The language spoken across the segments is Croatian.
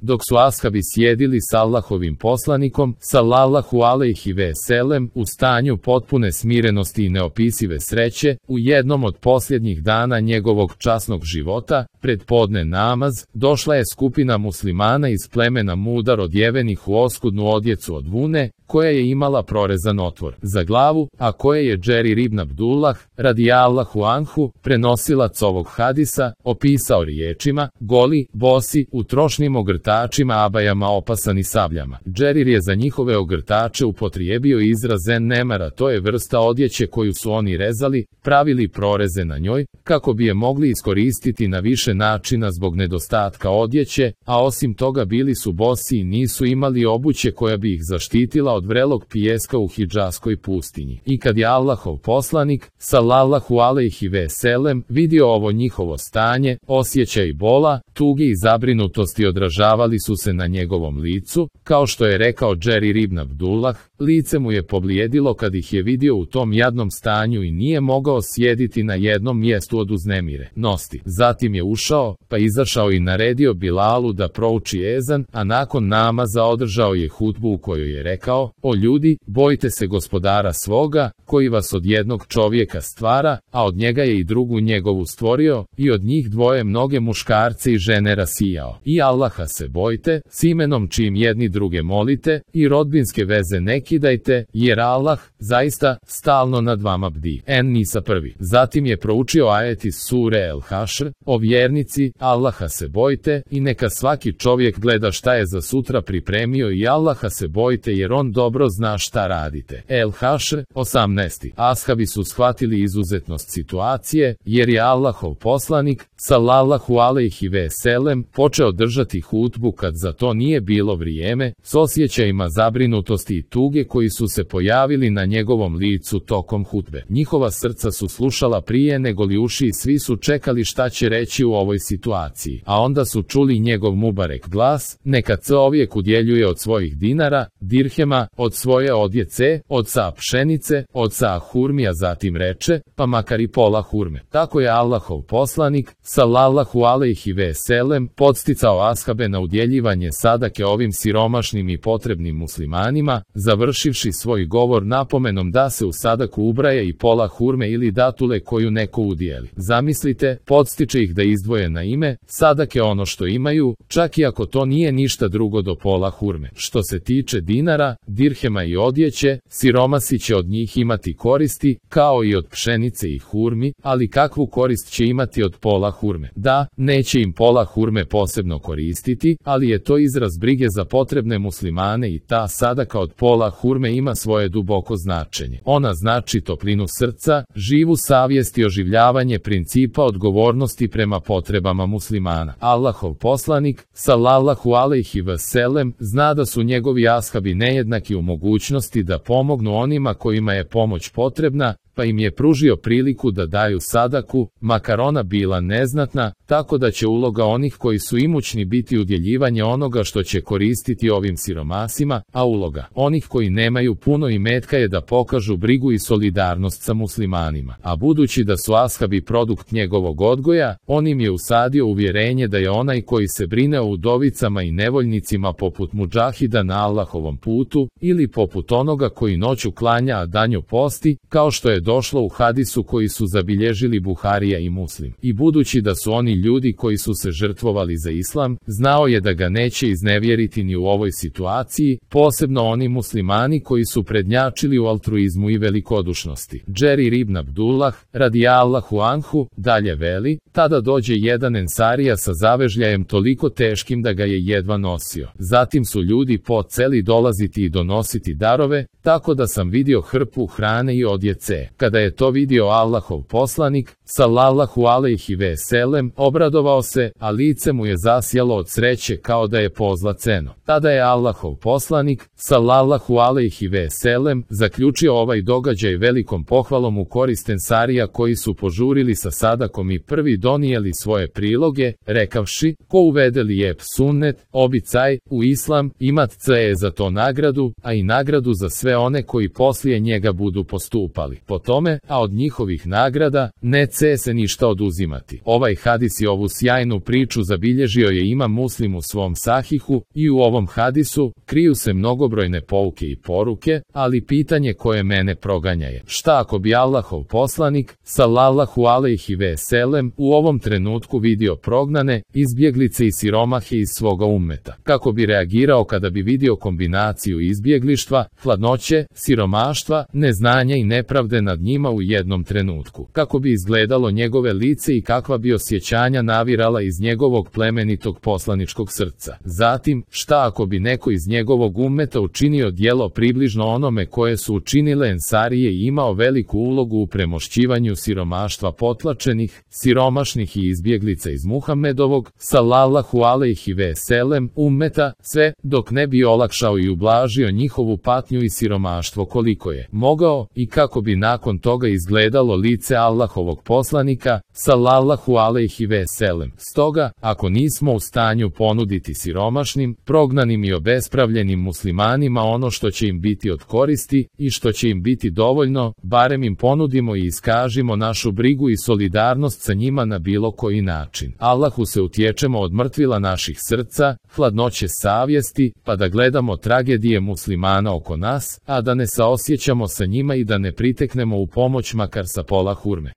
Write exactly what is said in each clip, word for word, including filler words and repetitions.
dok su ashabi sjedili s Allahovim poslanikom, sallallahu alejhi ve selem, u stanju potpune smirenosti i neopisive sreće, u jednom od posljednjih dana njegovog časnog života, pred podne namaz, došla je skupina muslimana iz plemena Mudar odjevenih u oskudnu odjecu od vune, koja je imala prorezan otvor za glavu, a koje je Džerir ibn Abdullah, radijallahu anhu, prenosilac ovog hadisa, opisao riječima: goli, bosi, u trošnim ogrtačima, abajama opasani sabljama. Džerir je za njihove ogrtače upotrijebio izraz en nemara, to je vrsta odjeće koju su oni rezali, pravili proreze na njoj, kako bi je mogli iskoristiti na više načina zbog nedostatka odjeće, a osim toga bili su bosi i nisu imali obuće koja bi ih zaštitila od vrelog pijeska u Hidžaskoj pustinji. I kad je Allahov poslanik, sallallahu alejhi ve selem, vidio ovo njihovo stanje, osjećaj bola, tuge i zabrinutosti odražavali su se na njegovom licu, kao što je rekao Džerir ibn Abdullah, lice mu je poblijedilo kad ih je vidio u tom jadnom stanju i nije mogao sjediti na jednom mjestu od uznemire nosti. Zatim je ušao, pa izašao i naredio Bilalu da prouči ezan, a nakon namaza održao je hutbu u kojoj je rekao: o ljudi, bojte se gospodara svoga, koji vas od jednog čovjeka stvara, a od njega je i drugu njegovu stvorio, i od njih dvoje mnoge muškarce i žene rasijao. I Allaha se bojte, s imenom čim jedni druge molite, i rodbinske veze ne kidajte, jer Allah, zaista, stalno nad vama bdi. En-Nisa prvi. Zatim je proučio ajet iz sure El-Hašr: o vjernici, Allaha se bojte, i neka svaki čovjek gleda šta je za sutra pripremio, i Allaha se bojte, jer on dobro zna šta radite. El-Hašr, osamnaesti. Ashabi su shvatili izuzetnost situacije, jer je Allahov poslanik, sallallahu alejhi ve selem, počeo držati hutbu kad za to nije bilo vrijeme, s osjećajima zabrinutosti i tuge koji su se pojavili na njegovom licu tokom hutbe. Njihova srca su slušala prije nego li uši i svi su čekali šta će reći u ovoj situaciji. A onda su čuli njegov mubarek glas: neka čovjek udjeljuje od svojih dinara, dirhema, od svoje odjece, od sa pšenice, od sa hurmija, zatim reče: pa makar i pola hurme. Tako je Allahov poslanik, sallallahu alejhi ve selem, podsticao ashabe na udjeljivanje sadake ovim siromašnim i potrebnim muslimanima, završivši svoj govor napomenom da se u sadaku ubraje i pola hurme ili datule koju neko udijeli. Zamislite, podstiče ih da izdvoje na ime sadake ono što imaju, čak i ako to nije ništa drugo do pola hurme. Što se tiče dinara, dirhema i odjeće, siromasi će od njih imati koristi, kao i od pšenice i hurmi, ali kakvu korist će imati od pola hurme? Da, neće im pola hurme posebno koristiti, ali je to izraz brige za potrebne muslimane i ta sadaka od pola hurme ima svoje duboko značenje. Ona znači toplinu srca, živu savjest i oživljavanje principa odgovornosti prema potrebama muslimana. Allahov poslanik, sallallahu alejhi ve selem, zna da su njegovi ashabi nejednaki u mogućnosti da pomognu onima kojima je pomoć potrebna, pa im je pružio priliku da daju sadaku, makar ona bila neznatna, tako da će uloga onih koji su imućni biti udjeljivanje onoga što će koristiti ovim siromasima, a uloga onih koji nemaju puno imetka je da pokažu brigu i solidarnost sa muslimanima. A budući da su ashabi produkt njegovog odgoja, on im je usadio uvjerenje da je onaj koji se brine o udovicama i nevoljnicima poput mudžahida na Allahovom putu, ili poput onoga koji noću klanja a danju posti, kao što je došlo u hadisu koji su zabilježili Buharija i Muslim. I budući da su oni ljudi koji su se žrtvovali za islam, znao je da ga neće iznevjeriti ni u ovoj situaciji, posebno oni muslimani koji su prednjačili u altruizmu i velikodušnosti. Džerir ibn Abdullah, radijallahu anhu, dalje veli: tada dođe jedan ensarija sa zavežljajem toliko teškim da ga je jedva nosio. Zatim su ljudi poceli dolaziti i donositi darove, tako da sam vidio hrpu hrane i odjece. Kada je to vidio Allahov poslanik, sallallahu alejhi ve selem, obradovao se, a lice mu je zasjalo od sreće kao da je pozlaceno. Tada je Allahov poslanik, sallallahu alejhi ve selem, zaključio ovaj događaj velikom pohvalom u korist ensarija koji su požurili sa sadakom i prvi donijeli svoje priloge, rekavši: ko uvede lijep sunnet, obicaj, u islam, imat će za to nagradu, a i nagradu za sve one koji poslije njega budu postupali po tome, a od njihovih nagrada, nec neće se ništa oduzimati. Ovaj hadis i ovu sjajnu priču zabilježio je Imam Muslim u svom sahihu i u ovom hadisu kriju se mnogobrojne pouke i poruke, ali pitanje koje mene proganja je: šta ako bi Allahov poslanik, sallallahu alejhi ve selem, u ovom trenutku vidio prognane, izbjeglice i siromahe iz svoga ummeta? Kako bi reagirao kada bi vidio kombinaciju izbjeglištva, hladnoće, siromaštva, neznanja i nepravde nad njima u jednom trenutku? Kako bi izgledalo njegove lice i kakva bi osjećanja navirala iz njegovog plemenitog poslaničkog srca? Zatim, šta ako bi neko iz njegovog ummeta učinio djelo približno onome koje su učinile Ensarije i imao veliku ulogu u premošćivanju siromaštva potlačenih, siromašnih i izbjeglica iz Muhammedovog, sallallahu alejhi ve selem, ummeta, sve dok ne bi olakšao i ublažio njihovu patnju i siromaštvo koliko je mogao, i kako bi nakon toga izgledalo lice Allahovog poslanika, sallallahu alejhi ve selem. Stoga, ako nismo u stanju ponuditi siromašnim, prognanim i obespravljenim muslimanima ono što će im biti od koristi i što će im biti dovoljno, barem im ponudimo i iskažimo našu brigu i solidarnost sa njima na bilo koji način. Allahu se utječemo od mrtvila naših srca, hladnoće savjesti, pa da gledamo tragedije muslimana oko nas, a da ne saosjećamo sa njima i da ne priteknemo u pomoć makar sa pola hurme.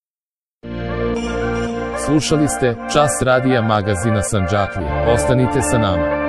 Slušali ste Čas radija magazina Sandžaklija. Ostanite sa nama.